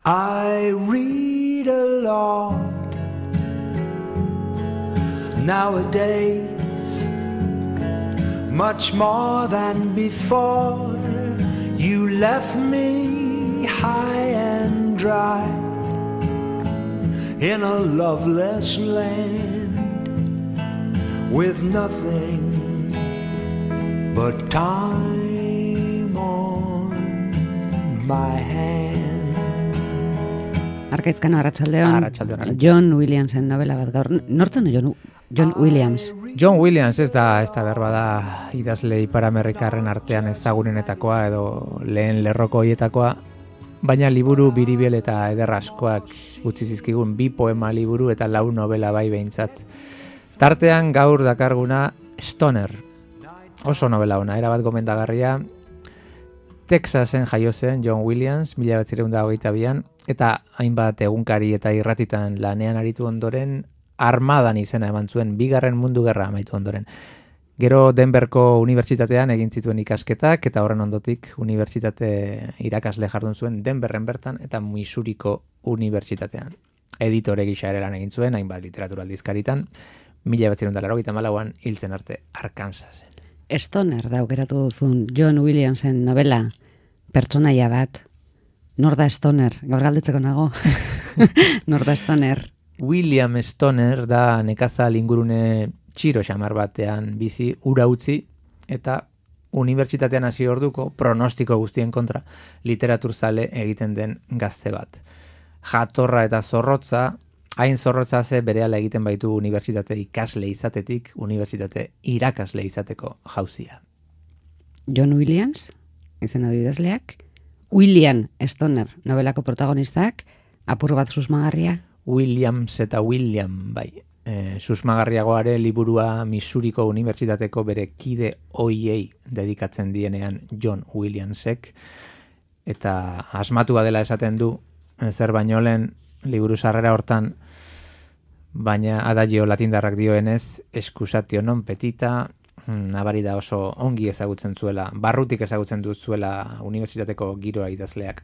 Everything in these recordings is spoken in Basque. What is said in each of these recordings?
I read a lot nowadays, much more than before. You left me high and dry in a loveless land with nothing but time on my hand. Arkaizkano, arratsaldeon. John Williamsen novela bat gaur. Nortzen John Williams? John Williams ez da berba da idazle ipar-amerikarren artean ezagunenetakoa edo lehen lerroko hoietakoa, baina liburu biribil eta eder askoak utzi zizkigun 2 poema liburu eta 4 novela bai behintzat. Tartean gaur dakarguna Stoner. Oso novela ona, erabat gomendagarria. Texasen jaio zen John Williams, 1922an, eta hainbat egunkari eta irratitan lanean aritu ondoren, armadan izena eman zuen, 2. Mundu Gerra amaitu ondoren. Gero Denverko unibertsitatean egin zituen ikasketak, eta horren ondotik unibertsitate irakasle jardun zuen Denverren bertan eta Missouriko unibertsitatean. Editore gisa ere lan egin zuen, hainbat literatura aldizkaritan, 1984an hiltzen arte Arkansasen. Stoner da aukeratu duzun John Williamsen novela, pertsonaia bat. Nor da Stoner? Gaur galdetzeko nago. Nor da Stoner? William Stoner da nekazal ingurune txiro xamar batean bizi, ura utzi, eta unibertsitatean hasi orduko pronostiko guztien kontra literaturzale egiten den gazte bat. Jatorra eta zorrotza, hain zorrotza ze berehala egiten baitu unibertsitate ikasle izatetik, unibertsitate irakasle izateko jauzia. John Williams, izena du idazleak, William Stoner, novelako protagonistak, apur bat susmagarria. Williams eta William, bai. Susmagarriagoare liburua Missouriko unibertsitateko bere kide hoiei dedikatzen dienean John Williamsek, eta asmatua dela esaten du, zer baino lehen liburu sarrera hortan, baina adagio latindarrak dioenez, excusatio non petita, nabari da oso ongi ezagutzen zuela, barrutik ezagutzen duzuela unibertsitateko giroa idazleak.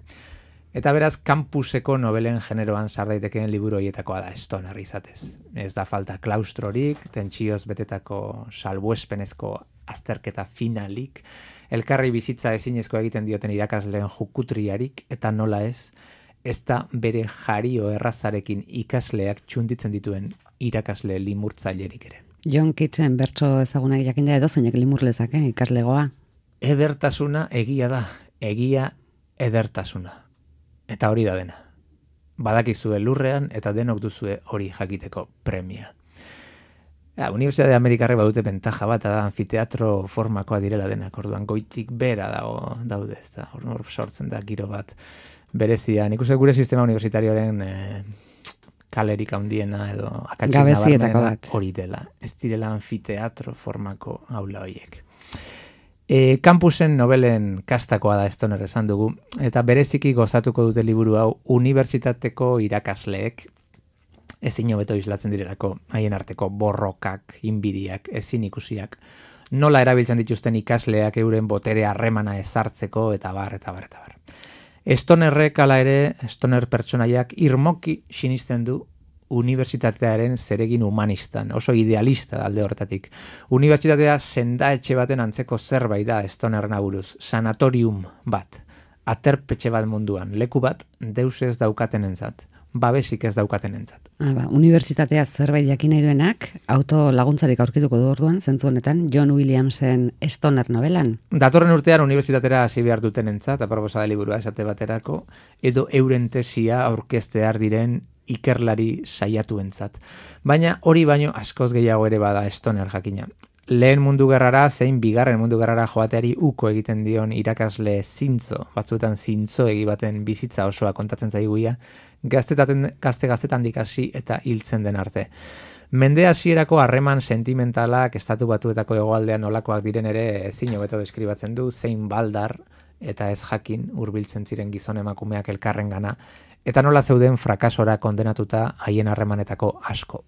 Eta beraz, kampuseko novelen generoan sar daitekeen liburu horietakoa da Stoner izatez. Ez da falta klaustrorik, tentsioz betetako salbuespenezko azterketa finalik, elkarri bizitza ezinezko egiten dioten irakasleen jukutriarik, eta nola ez da bere jario errazarekin ikasleak txunditzen dituen irakasle limurtzailerik ere. John Keatsen bertso ezagunak jakinda edozeinek limur lezake ikaslegoa. Edertasuna egia da, egia edertasuna. Eta hori da dena. Badakizue lurrean eta denok duzue hori jakiteko premia. Unibertsitate Amerikarrek badute bentaja bat, da anfiteatro formakoa direla denak, orduan goitik bera daude, ez da, hor sortzen da giro bat berezia. Nik uste gure sistema universitarioaren kalerik handiena edo akatsen nabarmena hori dela. Ez direla anfiteatro formako aula horiek. Kampusen novelen kastakoa da Stoner esan dugu, eta bereziki gozatuko dute liburu hau unibertsitateko irakasleek ezin hobeto islatzen direlako, haien arteko borrokak, inbidiak, ezin ikusiak, nola erabiltzen dituzten ikasleak euren botere harremana ezartzeko, eta bar. Stonerrek hala ere, Stoner pertsonaiak irmoki sinisten du unibertsitatearen zeregin humanistan, oso idealista alde horretatik. Unibertsitatea sendaetxe baten antzeko zerbait da Stonerren aburuz, sanatorium bat, aterpetxe bat munduan, leku bat deus ez daukatenentzat, babesik ez daukatenentzat. Unibertsitatea zerbait jakin nahi duenak, auto laguntzarik aurkituko du orduan, zentzu honetan, John Williamsen Stoner novelan. Datorren urtean unibertsitatera hasi behar dutenentzat, aproposa da liburua esate baterako, edo euren tesia aurkeztear diren ikerlari saiatuentzat. Baina hori baino askoz gehiago ere bada Stoner jakina. Lehen mundu gerrara zein 2. Mundu gerrara joateari uko egiten dion irakasle zintzo, batzuetan zintzo baten bizitza osoa kontatzen zaiguia, gaztetan dikasi eta hiltzen den arte. Mende hasierako harreman sentimentalak estatu batuetako hegoaldean nolakoak diren ere ezin hobeto deskribatzen du, zein baldar eta ez jakin hurbiltzen ziren gizon emakumeak elkarrengana, eta nola zeuden frakasora kondenatuta haien harremanetako asko.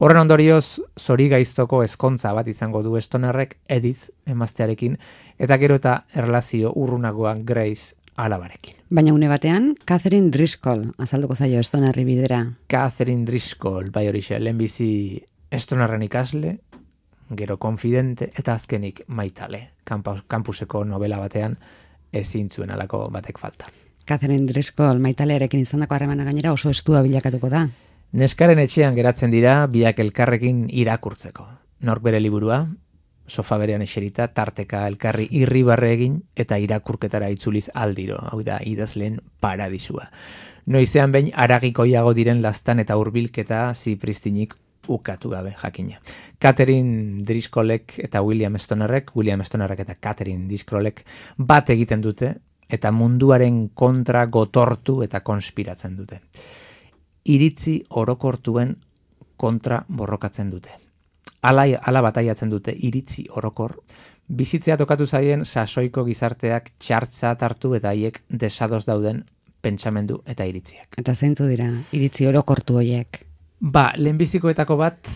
Horren ondorioz, zorigaiztoko ezkontza bat izango du Stonerrek Edith emaztearekin, eta gero eta erlazio urrunagoan Grace alabarekin. Baina une batean, Catherine Driscoll azalduko zaio Stonerri bidera. Catherine Driscoll, bai horixe, lehenbizi Stonerren ikasle, gero konfidente, eta azkenik maitale. Kampuseko novela batean ezin zuen alako batek falta. Catherine Driscoll maitalearekin izandako harremana gainera oso estua bilakatuko da. Neskaren etxean geratzen dira biak elkarrekin irakurtzeko. Nork bere liburua, sofa berean eserita, tarteka elkarri irribarre egin eta irakurketara itzuliz aldiro, hau da idazleen paradisua. Noizean behin aragikoiago diren lastan eta hurbilketa zipristinik ukatu gabe jakina. Catherine Driscollek eta William Stonerrek eta Catherine Driscollek bat egiten dute eta munduaren kontra gotortu eta konspiratzen dute. Iritzi orokortuen kontra borrokatzen dute. Ala bataiatzen dute iritzi orokor, bizitzea tokatu zaien sasoiko gizarteak txartza hartu eta haiek desados dauden pentsamendu eta iritziak. Eta zeintzu dira iritzi orokortu horiek? Lehenbizikoetako bat,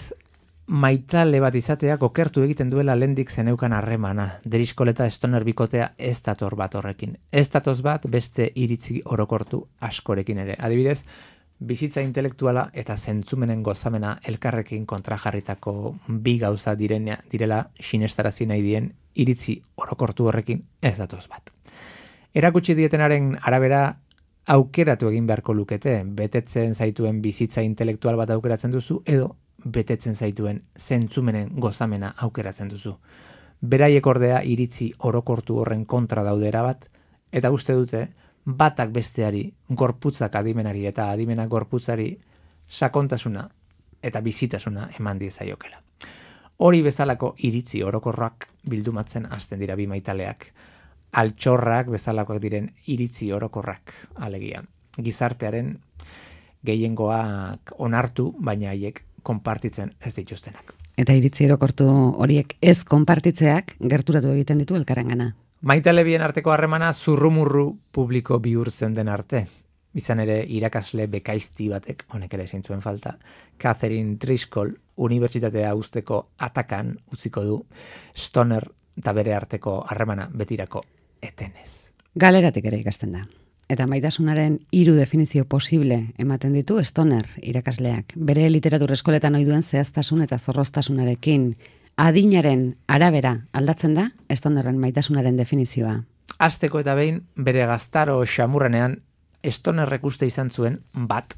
maitale bat izateak okertu egiten duela lehendik zeneukan harremana. Driscoll eta Stoner bikotea ez dator bat horrekin. Ez datoz bat beste iritzi orokortu askorekin ere. Adibidez, bizitza intelektuala eta zentzumenen gozamena elkarrekin kontrajarritako bi gauza direla sinestarazi nahi dien iritzi orokortu horrekin ez datoz bat. Erakutsi dietenaren arabera aukeratu egin beharko lukete, betetzen zaituen bizitza intelektual bat aukeratzen duzu edo betetzen zaituen zentzumenen gozamena aukeratzen duzu. Beraiek ordea iritzi orokortu horren kontra daudera bat, eta uste dute batak besteari, gorputzak adimenari eta adimenak gorputzari sakontasuna eta bizitasuna eman diezaiokela. Hori bezalako iritzi orokorrak bildumatzen hasten dira bi maitaleak. Altxorrak bezalakoak diren iritzi orokorrak, alegia. Gizartearen gehiengoak onartu, baina haiek konpartitzen ez dituztenak. Eta iritzi orokortu horiek ez konpartitzeak gerturatu egiten ditu elkarrengana. Maitale bien arteko harremana zurrumurru publiko bihurtzen den arte. Izan ere irakasle bekaizti batek, honek ere ezin zuen falta, Catherine Driscoll unibertsitatea uzteko atakan utziko du Stoner eta bere arteko harremana betirako etenez. Galeratik ere ikasten da. Eta maitasunaren 3 definizio posible ematen ditu Stoner irakasleak. Bere literatur eskoletan ohi duen zehaztasun eta zorroztasunarekin adinaren arabera aldatzen da Stonerren maitasunaren definizioa. Hasteko eta behin bere gaztaro xamurrenean Stonerrek uste izan zuen bat.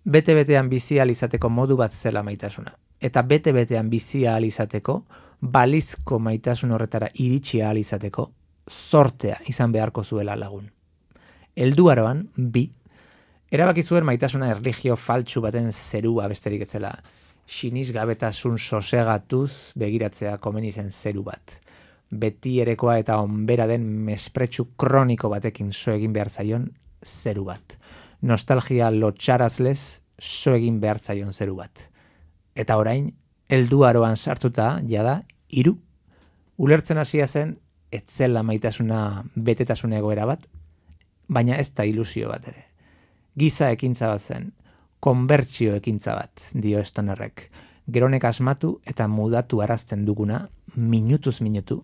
Bete-betean bizi ahal izateko modu bat zela maitasuna. Eta bete-betean bizi ahal izateko, balizko maitasun horretara iritsi ahal izateko, zortea izan beharko zuela lagun. Helduaroan, 2, erabaki zuen maitasuna erlijio faltsu baten zerua besterik etzela, sinisgabetasun sosegatuz begiratzea komeni zen zeru bat. Beti erekoa eta onbera den mespretsu kroniko batekin so egin behar zaion zeru bat. Nostalgia lotxarazlez so egin behar zaion zeru bat. Eta orain, helduaroan sartuta, jada, 3, ulertzen hasia zen, etzela maitasuna betetasun egoera bat, baina ez da ilusio bat ere. Giza ekintza bat zen, konbertsio ekintza bat, dio Stonerrek. Geronek asmatu eta mudatu arazten duguna, minutuz minutu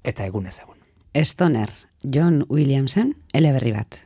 eta egunez egun. Stoner, John Williamsen, eleberri bat.